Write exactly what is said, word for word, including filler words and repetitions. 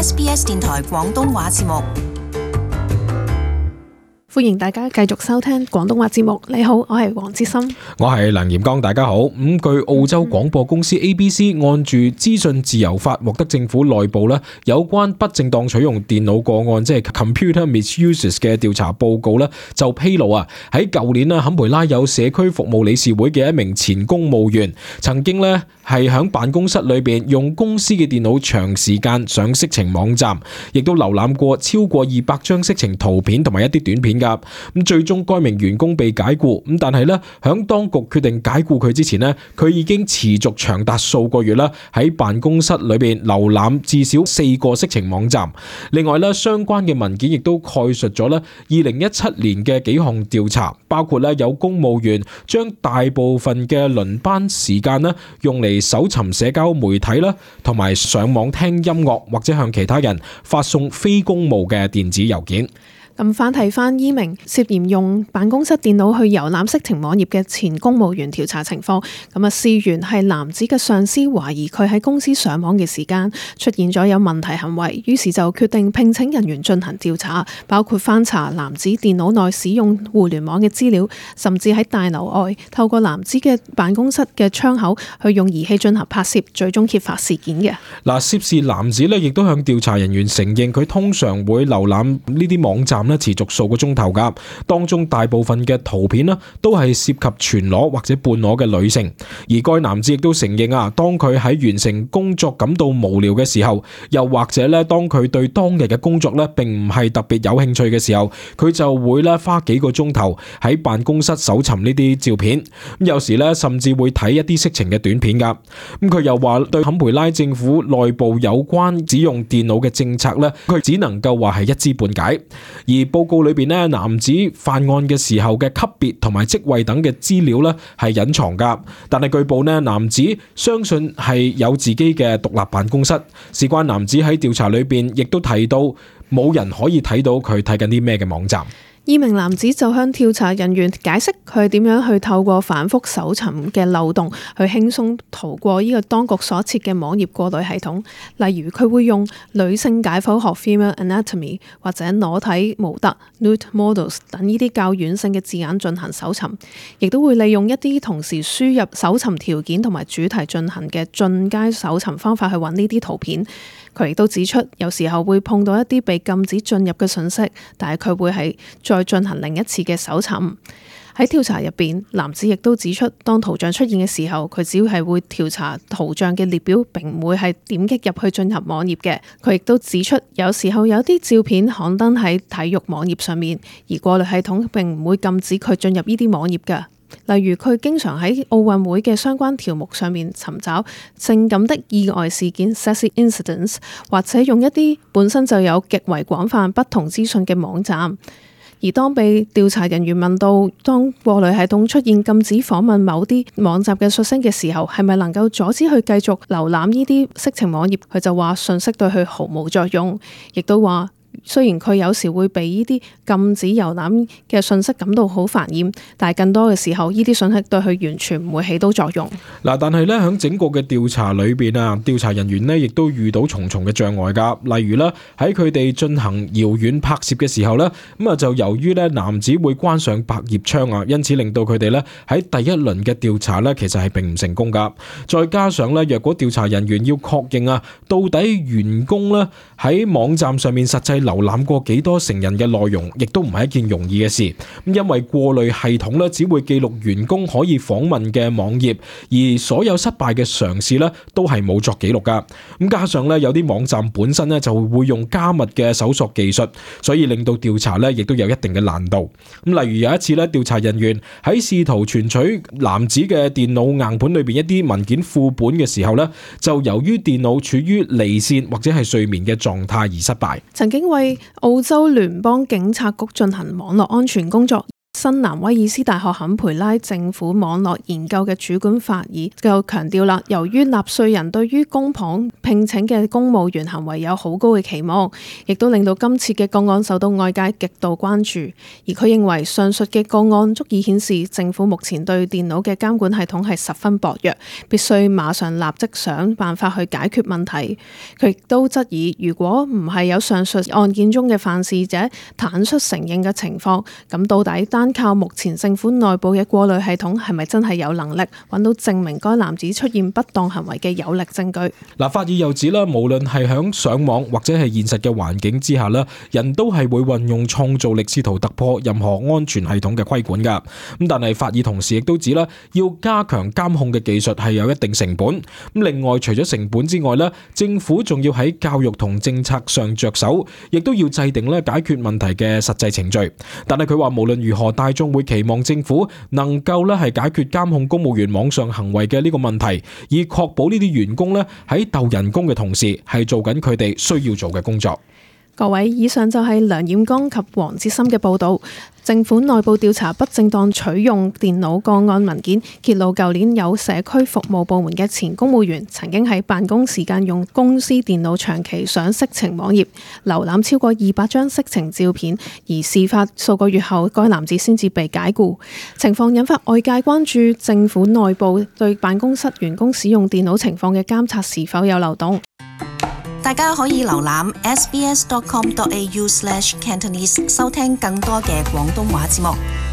S B S 電台廣東話節目。歡迎大家繼續收聽廣東話節目。你好，我係黃之森，我係梁炎剛。大家好。咁據澳洲廣播公司 A B C 按住資訊自由法獲得政府內部咧有關不正當取用電腦個案，即係 computer misuses 嘅調查報告咧，就披露啊，喺舊年啊，坎培拉有社區服務理事會嘅一名前公務員曾經咧係喺辦公室裏邊用公司嘅電腦長時間上色情網站，亦都瀏覽過超過二百張色情圖片同埋一啲短片。咁最終該名員工被解雇，咁但係咧響當局決定解雇佢之前咧，佢已經持續長達數個月啦，喺辦公室裏邊瀏覽至少四個色情網站。另外咧，相關嘅文件亦都概述咗咧二零一七年嘅幾項調查，包括咧有公務員將大部分嘅輪班時間咧用嚟搜尋社交媒體啦，同埋上網聽音樂或者向其他人發送非公務嘅電子郵件。咁翻睇翻依名涉嫌用辦公室電腦去遊覽色情網頁嘅前公務員調查情況，咁啊事源係男子嘅上司懷疑佢喺公司上網嘅時間出現咗有問題行為，於是就決定聘請人員進行調查，包括翻查男子電腦內使用互聯網嘅資料，甚至喺大樓外透過男子嘅辦公室嘅窗口去用儀器進行拍攝，最終揭發事件嘅。嗱，涉事男子咧亦都向調查人員承認，佢通常會瀏覽呢啲網站持續數個鐘頭噶，當中大部分嘅圖片呢都係涉及全裸或者半裸嘅女性。而該男子亦都承認啊，當佢喺完成工作感到無聊嘅時候，又或者咧當佢對當日嘅工作咧並唔係特別有興趣嘅時候，佢就會咧花幾個鐘頭喺辦公室搜尋呢啲照片。咁有時咧甚至會睇一啲色情嘅短片噶。咁佢又話對坎培拉政府內部有關使用電腦嘅政策咧，佢只能夠話係一知半解。而報告裏邊咧，男子犯案嘅時候嘅級別同埋職位等嘅資料咧係隱藏噶，但係據報咧，男子相信係有自己嘅獨立辦公室。事關男子喺調查裏邊亦都提到，冇人可以睇到佢睇緊啲咩嘅網站。呢名男子就向調查人員解釋佢點樣去透過反覆搜尋嘅漏洞去輕鬆逃過呢個當局所設嘅網頁過濾系統。例如佢會用女性解剖學 （female anatomy） 或者裸體模特 （nude models） 等呢啲較軟性嘅字眼進行搜尋，亦都會利用一啲同時輸入搜尋條件同埋主題進行嘅進階搜尋方法去揾呢啲圖片。佢亦都指出，有時候會碰到一啲被禁止進入嘅信息，但係佢會係再進行另一次嘅搜尋。喺調查入邊，男子亦都指出，當圖像出現嘅時候，佢只要係會調查圖像嘅列表，並唔會係點擊入去進入網頁嘅。佢亦都指出，有時候有啲照片刊登喺體育網頁上面，而過濾系統並唔會禁止佢進入呢啲網頁嘅。例如佢經常喺奧運會嘅相關條目上面尋找性感的意外事件 （sexy incidents）， 或者用一啲本身就有極為廣泛不同資訊嘅網站。而當被調查人員問到，當過濾系統出現禁止訪問某啲網站嘅訊息嘅時候，係咪能夠阻止佢繼續瀏覽呢啲色情網頁？佢就話訊息對佢毫無作用，亦都話雖然佢有時會被呢啲禁止遊覽嘅信息感到好煩厭，但係更多嘅時候，呢啲信息對佢完全唔會起到作用。嗱，但係咧喺整個嘅調查裏邊啊，調查人員呢亦都遇到重重嘅障礙噶。例如咧喺佢哋進行遙遠拍攝嘅時候咧，咁啊就由於咧男子會關上百葉窗啊，因此令到佢哋咧喺第一輪嘅調查咧其實係並唔成功噶。再加上咧，若果調查人員要確認啊，到底員工咧喺網站上面實際瀏覽過幾多成人嘅內容，亦都唔係一件容易嘅事。咁因為過濾系統咧只會記錄員工可以訪問嘅網頁，而所有失敗嘅嘗試咧都係冇作記錄噶。咁加上咧有啲網站本身咧就會用加密嘅搜索技術，所以令到調查咧亦都有一定嘅難度。咁例如有一次咧，調查人員喺試圖存取男子嘅電腦硬盤裏邊一啲文件副本嘅時候咧，就由於電腦處於離線或者係睡眠嘅狀態而失敗。曾經為澳洲聯邦警察局進行網絡安全工作新南威爾斯大學坎培拉政府網絡研究嘅主管法爾就強調啦，由於納稅人對於公帑聘請嘅公務員行為有好高嘅期望，亦都令到今次嘅個案受到外界極度關注。而佢認為上述嘅個案足以顯示政府目前對電腦嘅監管系統係十分薄弱，必須馬上立即想辦法去解決問題。佢亦都質疑，如果唔係有上述案件中嘅犯事者坦率承認嘅情況，咁到底單靠目前政府內部嘅過濾系統係咪真係有能力揾到證明該男子出現不當行為嘅有力證據？嗱，法爾又指啦，無論係響上網或者係現實嘅環境之下啦，人都係會運用創造力試圖突破任何安全系統嘅規管噶。咁但係法爾同時亦都指啦，要加強監控嘅技術係有一定成本。咁另外除咗成本之外咧，政府仲要喺教育同政策上着手，亦都要制定咧解決問題嘅實際程序。但係佢話無論如何，大眾會期望政府能夠咧係解決監控公務員網上行為嘅呢個問題，以確保呢啲員工咧喺鬥人工嘅同時係做緊佢哋需要做嘅工作。各位，以上就係梁彥剛及黃志森嘅報導。政府內部調查不正當取用電腦個案文件，揭露舊年有社區服務部門嘅前公務員曾經喺辦公時間用公司電腦長期上色情網頁，瀏覽超過二百張色情照片，而事發數個月後，該男子先至被解僱。情況引發外界關注政府內部對辦公室員工使用電腦情況嘅監察是否有漏洞。大家可以瀏覽 s b s dot com dot a u slash cantonese 收聽更多嘅廣東話節目。